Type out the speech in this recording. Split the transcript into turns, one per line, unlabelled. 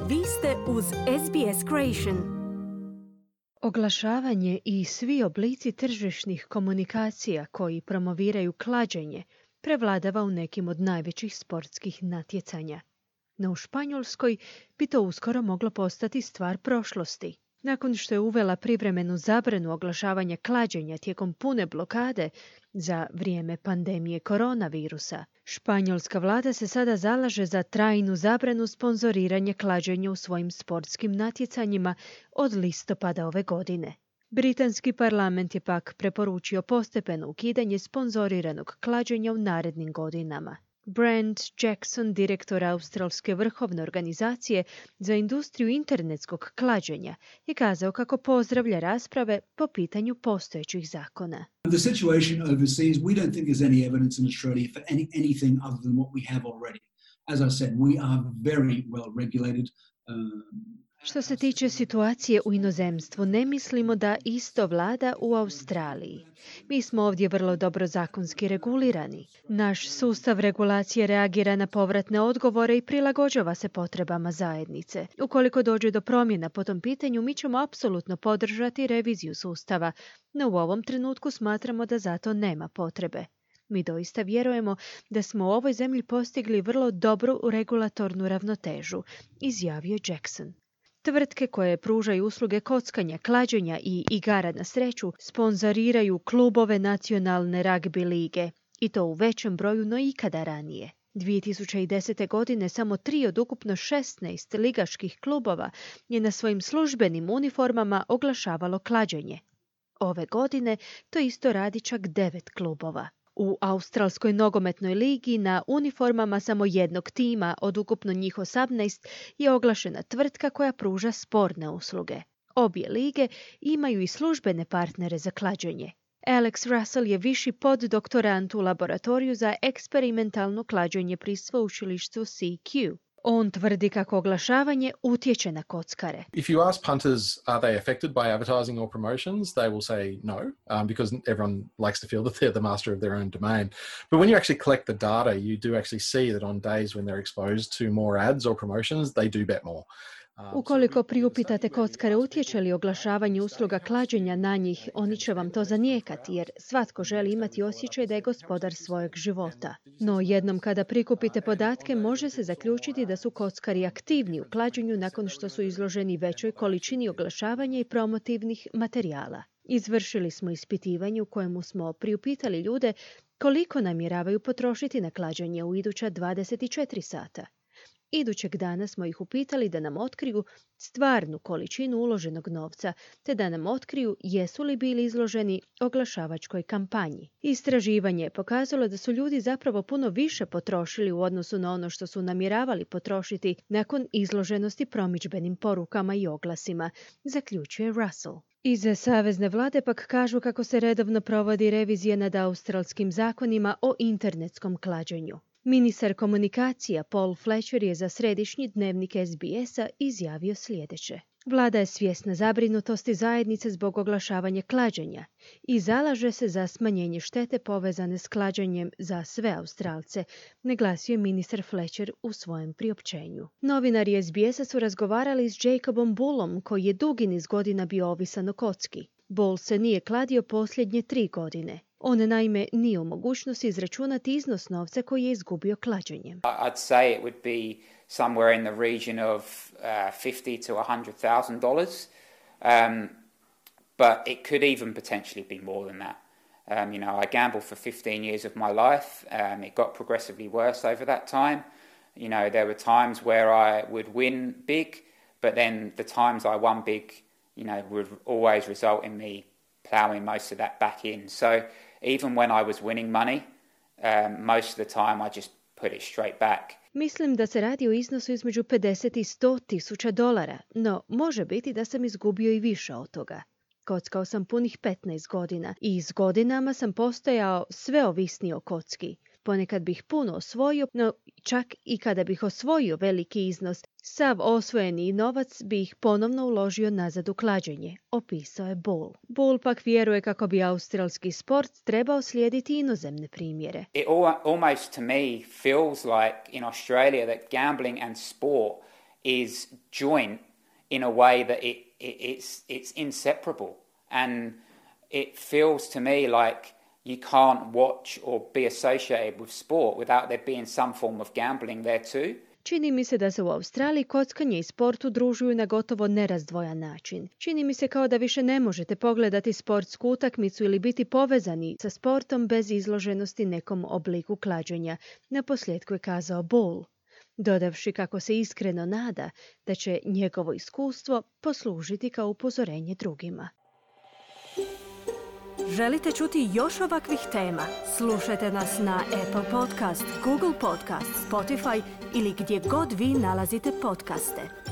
Vi ste uz SBS Creation.
Oglašavanje i svi oblici tržišnih komunikacija koji promoviraju klađenje prevladava u nekim od najvećih sportskih natjecanja. No u Španjolskoj bi to uskoro moglo postati stvar prošlosti. Nakon što je uvela privremenu zabranu oglašavanja klađenja tijekom pune blokade za vrijeme pandemije koronavirusa, španjolska vlada se sada zalaže za trajnu zabranu sponzoriranja klađenja u svojim sportskim natjecanjima od listopada ove godine. Britanski parlament je pak preporučio postepeno ukidanje sponzoriranog klađenja u narednim godinama. Brent Jackson, direktor Australske vrhovne organizacije za industriju internetskog klađenja, je kazao kako pozdravlja rasprave po pitanju postojećih zakona.
The situation overseas, we don't think there's any evidence in Australia for anything other than what we have already. As I said, we are very well regulated.
Što se tiče situacije u inozemstvu, ne mislimo da isto vlada u Australiji. Mi smo ovdje vrlo dobro zakonski regulirani. Naš sustav regulacije reagira na povratne odgovore i prilagođava se potrebama zajednice. Ukoliko dođe do promjena po tom pitanju, mi ćemo apsolutno podržati reviziju sustava, no u ovom trenutku smatramo da za to nema potrebe. Mi doista vjerujemo da smo u ovoj zemlji postigli vrlo dobru regulatornu ravnotežu, izjavio Jackson. Tvrtke koje pružaju usluge kockanja, klađenja i igara na sreću sponzoriraju klubove nacionalne ragbi lige, i to u većem broju no ikada ranije. 2010. godine samo 3 od ukupno 16 ligaških klubova je na svojim službenim uniformama oglašavalo klađenje. Ove godine to isto radi čak 9 klubova. U Australskoj nogometnoj ligi na uniformama samo jednog tima od ukupno njih 18 je oglašena tvrtka koja pruža sportne usluge. Obje lige imaju i službene partnere za klađenje. Alex Russell je viši poddoktorant u laboratoriju za eksperimentalno klađenje pri sveučilištu CQ. On tvrdi kako oglašavanje utječe na kockare.
If you ask punters, are they affected by advertising or promotions, they will say no, because everyone likes to feel that they're the master of their own domain. But when you actually collect the data, you do actually see that on days when they're exposed to more ads or promotions, they do bet more.
Ukoliko priupitate kockare utječe li oglašavanje usluga klađenja na njih, oni će vam to zanijekati, jer svatko želi imati osjećaj da je gospodar svojeg života. No jednom kada prikupite podatke, može se zaključiti da su kockari aktivni u klađenju nakon što su izloženi većoj količini oglašavanja i promotivnih materijala. Izvršili smo ispitivanje u kojemu smo priupitali ljude koliko namjeravaju potrošiti na klađenje u iduća 24 sata. Idućeg dana smo ih upitali da nam otkriju stvarnu količinu uloženog novca, te da nam otkriju jesu li bili izloženi oglašavačkoj kampanji. Istraživanje je pokazalo da su ljudi zapravo puno više potrošili u odnosu na ono što su namjeravali potrošiti nakon izloženosti promidžbenim porukama i oglasima, zaključuje Russell. Iz savezne vlade pak kažu kako se redovno provodi revizija nad australskim zakonima o internetskom klađenju. Ministar komunikacija Paul Fletcher je za središnji dnevnik SBS-a izjavio sljedeće. Vlada je svjesna zabrinutosti zajednice zbog oglašavanja klađenja i zalaže se za smanjenje štete povezane s klađenjem za sve Australce, naglasio je ministar Fletcher u svojem priopćenju. Novinari SBS-a su razgovarali s Jacobom Bullom, koji je dugi niz godina bio ovisan o kocki. Bull se nije kladio posljednje 3 godine. On naime nije u mogućnosti izračunati iznos novca koji je izgubio klađenjem.
I'd say it would be somewhere in the region of $50,000 to $100,000, but it could even potentially be more than that. I gambled for 15 years of my life. It got progressively worse over that time. There were times where I would win big, but then the times I won big, would always result in me plowing most of that back in. So even when I was winning money, most of the time I just put it straight back.
Mislim da se radi o iznosu između 50 i 100 tisuća dolara, no može biti da sam izgubio i više od toga. Kockao sam punih 15 godina i s godinama sam postajao sve ovisniji o kocki. Ponekad bih puno osvojio, no čak i kada bih osvojio veliki iznos, sav osvojeni novac bih ponovno uložio nazad u klađenje, opisao je Bull. Bull pak vjeruje kako bi australski sport trebao slijediti inozemne primjere.
It almost to me feels like in Australia that gambling and sport is joint in a way that it's inseparable. And it feels to me like you can't watch or be associated with sport without there being some form of gambling there too.
Čini mi se da se u Australiji kockanje i sport udružuju na gotovo nerazdvojan način. Čini mi se kao da više ne možete pogledati sportsku utakmicu ili biti povezani sa sportom bez izloženosti nekom obliku klađenja, naposljetku je kazao Bull, dodavši kako se iskreno nada da će njegovo iskustvo poslužiti kao upozorenje drugima.
Želite čuti još ovakvih tema? Slušajte nas na Apple Podcast, Google Podcast, Spotify ili gdje god vi nalazite podcaste.